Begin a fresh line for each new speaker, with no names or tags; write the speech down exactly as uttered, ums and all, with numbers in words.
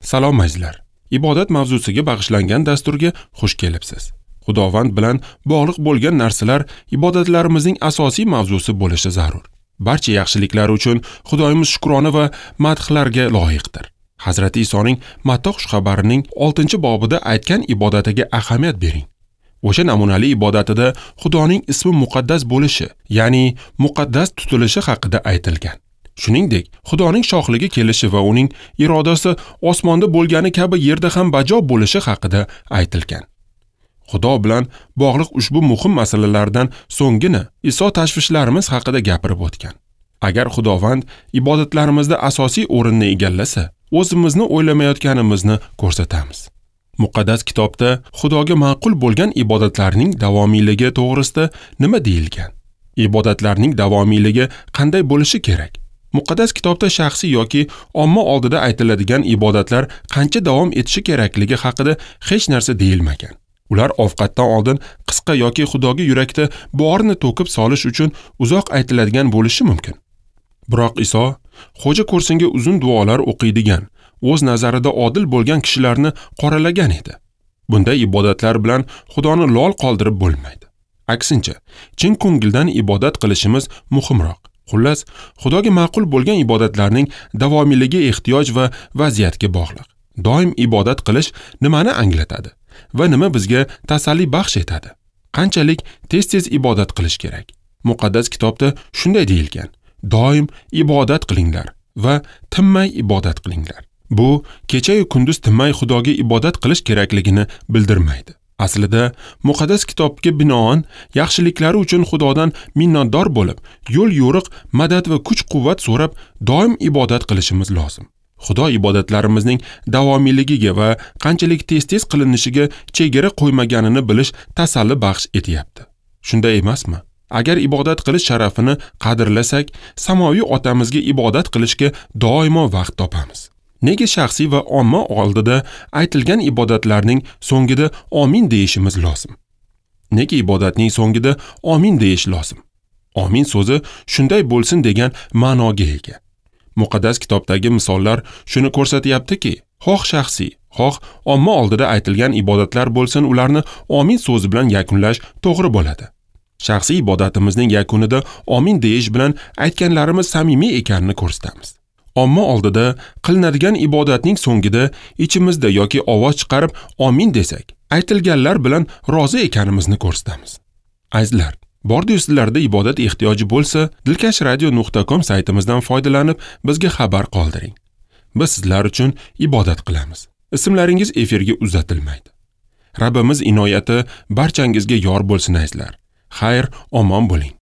Salom azizlar. Ibodat mavzusiga bag'ishlangan dasturga xush kelibsiz. Xudovand bilan bog'liq bo'lgan narsalar ibodatlarimizning asosiy mavzusi bo'lishi zarur. Barcha yaxshiliklar uchun Xudoyimiz shukrona va madhlarga loyiqdir. Hazrati Isoning Matta xushxabarining oltinchi bobida aytgan ibodatiga ahamiyat bering. O'sha namunali ibodatida Xudoning ismi muqaddas bo'lishi, ya'ni muqaddas tutilishi haqida aytilgan. Shuningdek, Xudoning shohligi kelishi va uning irodasi osmonda bo'lgani kabi yerda ham bajo bo'lishi haqida aytilgan. Xudo bilan bog'liq ushbu muhim masalalardan so'nggina Iso tashvishlarimiz haqida gapirib o'tgan. Agar Xudovand ibodatlarimizda asosiy o'rinni egallasa, o'zimizni o'ylamayotganimizni ko'rsatamiz. Muqaddas kitobda Xudoga ma'qul bo'lgan ibodatlarning davomiyligi to'g'risida nima deyilgan? Ibodatlarning davomiyligi qanday bo'lishi kerak? Muqaddas kitobda shaxsiy yoki omma oldida aytiladigan ibodatlar qancha davom etishi kerakligi haqida hech narsa deyilmagan. Ular ovqatdan oldin qisqa yoki Xudoga yurakda borini to'kib solish uchun uzoq aytiladigan bo'lishi mumkin. Biroq Iso xo'ja ko'rsinga uzun duolar o'qiydigan, o'z nazarida odil bo'lgan kishilarni qoralagan edi. Bunday ibodatlar bilan Xudoni lol qoldirib bo'lmaydi. Aksincha, chin ko'ngildan ibodat qilishimiz muhimroq. Xullas, Xudoga ma'qul bo'lgan ibodatlarning davomiyligi ehtiyoj va vaziyatga bog'liq. Doim ibodat qilish nimani anglatadi va nima bizga tasalli baxsh etadi? Qanchalik tez-tez ibodat qilish kerak? Muqaddas kitobda shunday deyilgan: doim ibodat qilinglar va tinmay ibodat qilinglar. Bu kecha-yu kunduz tinmay Xudoga ibodat qilish kerakligini bildirmaydi. Aslida muqaddas kitobga binoan yaxshiliklari uchun Xudodan minnatdor bo'lib, yo'l-yo'riq, madad va kuch-quvvat so'rab doim ibodat qilishimiz lozim. Xudo ibodatlarimizning davomiyligiga va qanchalik tez-tez qilinishiga chegara qo'ymaganini bilish tasalli baxsh etyapti. Shunday emasmi? Agar ibodat qilish sharafini qadrlasak, samoviy otamizga ibodat qilishga doimo vaqt topamiz. Nega shaxsiy va omma oldida aytilgan ibodatlarning so'ngida amin deyishimiz lozim? Nega ibodatning so'ngida amin deyish lozim? Amin so'zi shunday bo'lsin degan ma'noga ega. Muqaddas kitobdagi misollar shuni ko'rsatyaptiki, xoh shaxsiy, xoh omma oldida aytilgan ibodatlar bo'lsin, ularni amin so'zi bilan yakunlash to'g'ri bo'ladi. Shaxsiy ibodatimizning yakunida amin deyish bilan aytganlarimiz samimiy ekanini ko'rsatamiz. Omma oldida qilinadigan ibodatning so'ngida ichimizda yoki ovoz chiqarib amin desak, aytilganlar bilan rozi ekanimizni ko'rsatamiz. Azizlar, bordi-yu sizlarda ibodat ehtiyoji bo'lsa, dilkash radio nuqta com saytimizdan foydalanib bizga xabar qoldiring. Biz sizlar uchun ibodat qilamiz. Ismlaringiz efirga uzatilmaydi. Rabbimiz inoyati barchangizga yor bo'lsin azizlar. Xayr, omon bo'ling.